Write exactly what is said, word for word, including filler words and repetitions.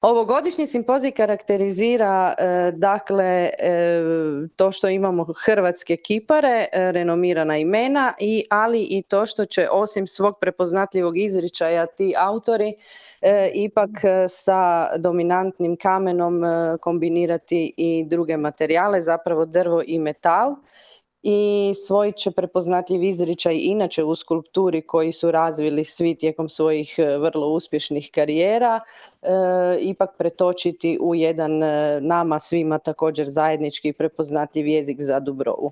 Ovogodišnji simpozij karakterizira e, dakle e, to što imamo hrvatske kipare, e, renomirana imena, i, ali i to što će osim svog prepoznatljivog izričaja ti autori e, ipak sa dominantnim kamenom e, kombinirati i druge materijale, zapravo drvo i metal. I svoj će prepoznatljiv izričaj inače u skulpturi koji su razvili svi tijekom svojih vrlo uspješnih karijera e, ipak pretočiti u jedan nama svima također zajednički prepoznatljiv jezik za Dubrovu.